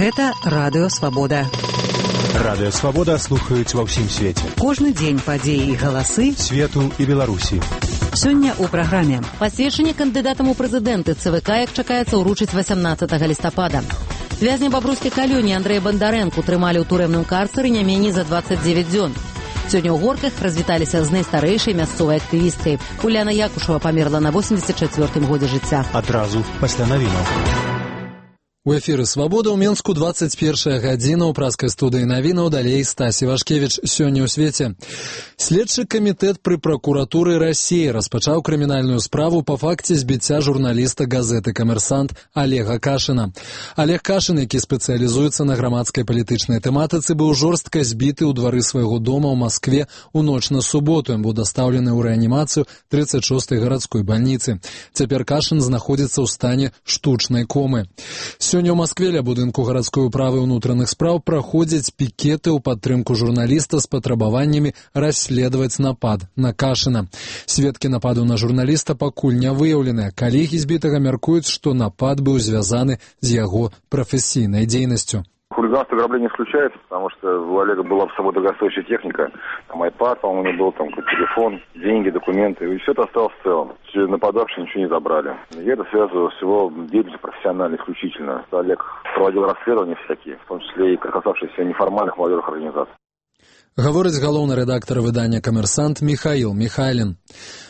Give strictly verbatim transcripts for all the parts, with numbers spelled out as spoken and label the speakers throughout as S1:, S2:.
S1: Гэта Радыё Свабода.
S2: Радыё Свабода слухаюць ва ўсім свеце.
S1: Кожны дзень падзеі і галасы
S2: свету і Беларусі.
S1: Сёння ў праграме.
S3: Пасведчанне кандыдатам у прэзідэнты ЦВК, як чакаецца, ўручыць васямнаццатага лістапада. Вязня бабруйскай калоніі Андрэя Бандарэнку трымалі ў турэмным карцары не меней за дваццаць дзевяць дзён. Сёння ў Горках развіталіся з найстарэйшай мясцовай актывісткай. Уляна Якушева памерла на восемьдесят чацвёртым годзе жыцця.
S2: Адразу пасля навінаў.
S4: У эфіры «Свабода» ў Менску двадцать первая гадзіна ў праскай студыі навінаў, далей Стасі Вашкевіч. Сёння ў свеце. Следчы камітэт пры пракуратуры Расіі распачаў крымінальную справу па факце збіцця журналіста газеты «Камерсант» Олега Кашына. Олег Кашын, які спецыялізуецца на грамадскай палітычнай тэматыцы, быў жорстка збіты ў двары свайго дома ў Маскве ў ноч на суботу. Ён быў дастаўлены ў рэанімацыю тридцать шостой гарадской бальніцы. Цяпер Кашын знаходзіцца ў стане штучнай комы. Сёння ў Маскве ля будынку гарадской управы ўнутраных спраў праходзяць пікеты ў падтрымку журналіста з патрабаваннямі расследаваць напад на Кашына. Сведкі нападу на журналіста пакуль не выяўленыя. Калегі збітага мяркуюць, што напад быў звязаны з яго прафесійнай дзейнасцю.
S5: Хулиганство, ограбление исключается, потому что у Олега была с собой дорогостоящая техника. Там айпад, по-моему, у него был, там телефон, деньги, документы. И все это осталось в целом. Все нападавшие ничего не забрали. Я это связываю с его деятельностью профессионально, исключительно. Олег проводил расследования всякие, в том числе и касавшиеся неформальных молодежных организаций.
S4: Гаворыць галоўны рэдактар выдання «Камерсант» Михаил Михайлин.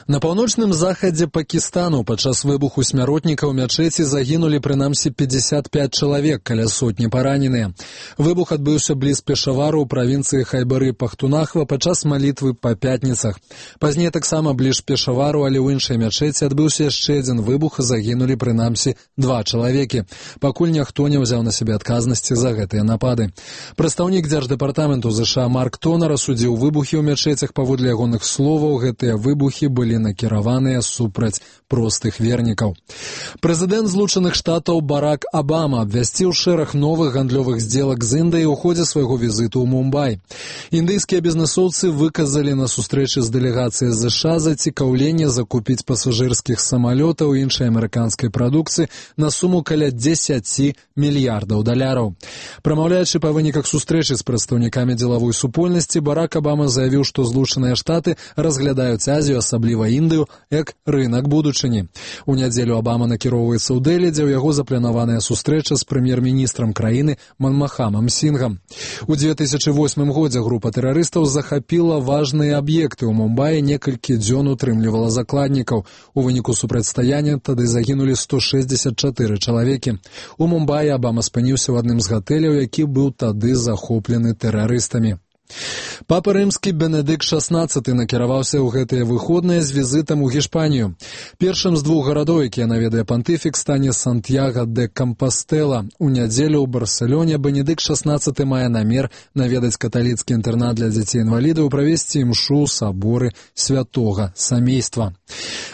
S4: На паўночным захадзе Пакістану падчас выбуху смяротніка ў мячэці загінулі прынамсі пятьдесят пять чалавек, каля сотні параненыя. Выбух адбыўся бліз Пешавару ў правінцыі Хайбары-Пахтунахва падчас малітвы па пятніцах. Пазней таксама бліж Пешавару, але ў іншай мячэці адбыўся яшчэ адзін выбух і загінулі прынамсі два чалавекі. Пакуль ніхто не ўзяў на сябе адказнасці за гэтыя напады. Прадстаўнік Дзярждэпартаменту ЗША Марк Тонар асудзіў выбухі ў мячэцях. Паводле ягоных словаў, гэтыя выбухі былі накіраваныя супраць простых вернікаў. Прэзідэнт Злучаных Штатаў Барак Абама абвясціў шэраг новых гандлёвых здзелак з Індыяй у ходзе свайго візіту ў Мумбай. Індыйскія бізнэсоўцы выказалі на сустрэчы з дэлегацыяй ЗША зацікаўленне закупіць пасажырскіх самалётаў і іншай амерыканскай прадукцыі на суму каля дзесяці мільярдаў даляраў. Прамаўляючы па выніках сустрэчы з прадстаўнікамі дзелавой супольнасці, Барак Абама заявіў, што Злучаныя Штаты разглядаюць Азію, асабліва Індыю, як рынак будучыні. У нядзелю Абама накіроўваецца ў Дэлі, дзе ў яго запланаваная сустрэча з прэм'ер-міністрам краіны Манмахамам Сінгам. У две тысячы восьмым годзе група тэрарыстаў захапіла важныя аб'екты ў Мумбаі, некалькі дзён утрымлівала закладнікаў. У выніку супрацьстаяння тады загінулі сто шэсцьдзесят чатыры чалавекі. У Мумбаі Абама спыніўся ў адным з гатэляў, які быў тады захоплены тэрарыстамі. Папа рымскі Бенедыкт шаснаццаты накіраваўся ў гэтыя выходныя з візітам у Гішпанію. Першым з двух гарадоў, якія наведае пантыфік, стане Сантьяго де Кампастэла. У нядзелю ў Барселоне Бенедыкт шаснаццаты мае намер наведаць каталіцкі інтэрнат для дзяцей-інвалідаў і правесці імшу ў саборы святога сямейства.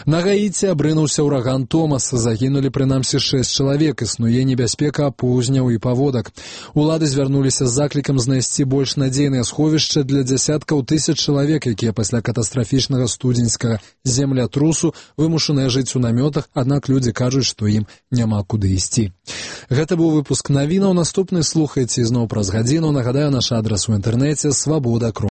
S4: На Гаіці абрынуўся ўраган Томас. Загінулі прынамсі шэсць чалавек. Існуе небяспека паўзняў і паводак. Улады звярнуліся з заклікам знайсці больш надзейныя сховішча для дзясяткаў тысяч чалавек, якія пасля катастрафічнага студзеньскага землятрусу вымушаныя жыць у намётах, аднак людзі кажуць, што ім няма куды ісці. Гэта быў выпуск навінаў. Наступны слухайце ізноў праз гадзіну. Нагадаю, наш адрас у інтэрнэце свабода.